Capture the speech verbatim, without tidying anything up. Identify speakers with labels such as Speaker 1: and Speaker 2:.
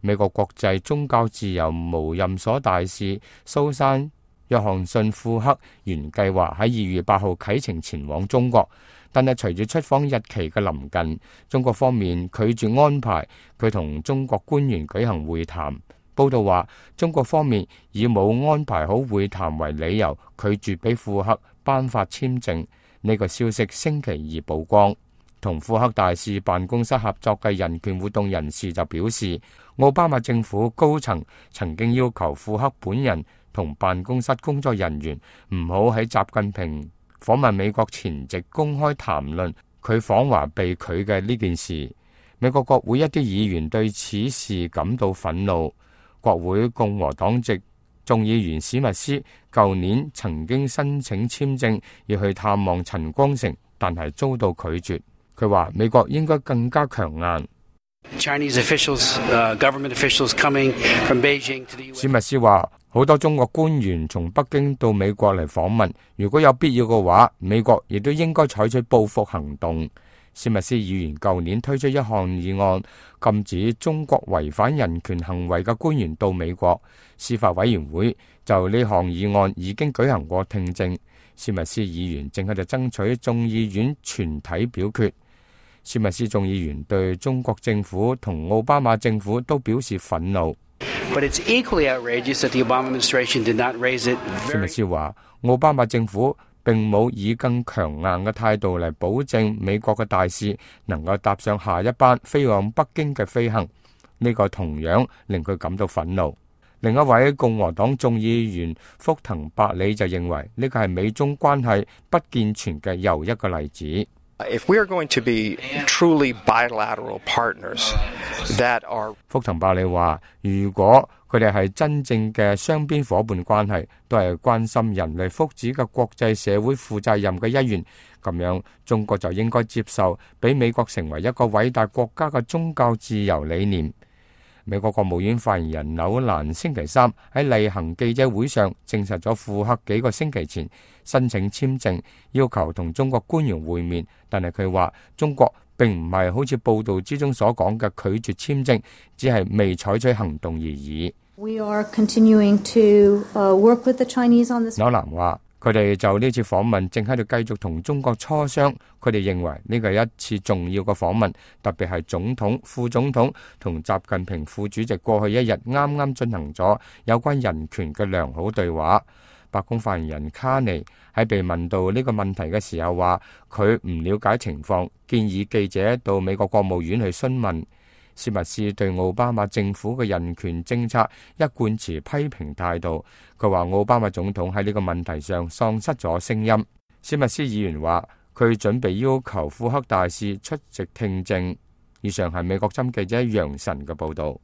Speaker 1: 美國國際宗教自由無任所大使蘇珊約翰遜庫克原計劃喺二月八號啟程前往中國，但係隨住出訪日期嘅臨近，中國方面拒絕安排佢同中國官員舉行會談。報道話，中國方面以冇安排好會談為理由，拒絕俾庫克頒發簽證。呢個消息星期二曝光。同庫克大使辦公室合作嘅人權活動人士就表示，奧巴馬政府高層曾經要求庫克本人同辦公室工作人員唔好喺習近平訪問美國前夕公開談論佢訪華被拒嘅呢件事。美國國會一啲議員對此事感到憤怒。國會共和黨籍眾議員史密斯舊年曾經申請簽證要去探望陳光誠，但係遭到拒絕。佢話美國應該更加強硬。史密斯話好多中國官員從北京到美國嚟訪問，如果有必要嘅話，美國亦都應該採取報復行動。史密斯議員舊年推出一項議案，禁止中國違反人權行為嘅官員到美國。司法委員會就呢項議案已經舉行過聽證。史密斯議員正喺度爭取眾議院全體表決。史密斯眾議員對中國政府同奧巴馬政府都表示憤怒。史密斯話，奧巴馬政府並冇以更強硬嘅態度嚟保證美國嘅大使能夠搭上下一班飛往北京嘅飛行，呢個同樣令佢感到憤怒。另一位共和黨眾議員福騰伯里就認為呢個係美中關係不健全嘅又一個例子。
Speaker 2: If we are going to be truly bilateral partners that are
Speaker 1: 福騰伯里話，如果佢哋係真正嘅雙邊夥伴關係，都係關心人類福祉嘅國際社會負責任嘅一員，咁樣中國就應該接受俾美國成為一個偉大國家嘅宗教自由理念。美國國務院發言人紐蘭星期三喺例行記者會上證實咗庫克幾個星期前申請簽證，要求同中國官員會面，但係佢話中國並唔係好似報道之中所講嘅拒絕簽證，只係未採取行動而已。
Speaker 3: We are continuing to work with the Chinese on this.
Speaker 1: 紐蘭話，佢哋就呢次訪問正喺度繼續同中國磋商，佢哋認為呢個係一次重要嘅訪問，特別係總統、副總統同習近平副主席過去一日啱啱進行咗有關人權嘅良好對話。白宮發言人卡尼喺被問到呢個問題嘅時候話，佢唔了解情況，建議記者到美國國務院去詢問。史密斯對奧巴馬政府嘅人權政策一貫持批評態度，佢話奧巴馬總統喺呢個問題上喪失咗聲音。史密斯議員話佢準備要求庫克大使出席聽證。以上係美國針記者楊晨嘅報道。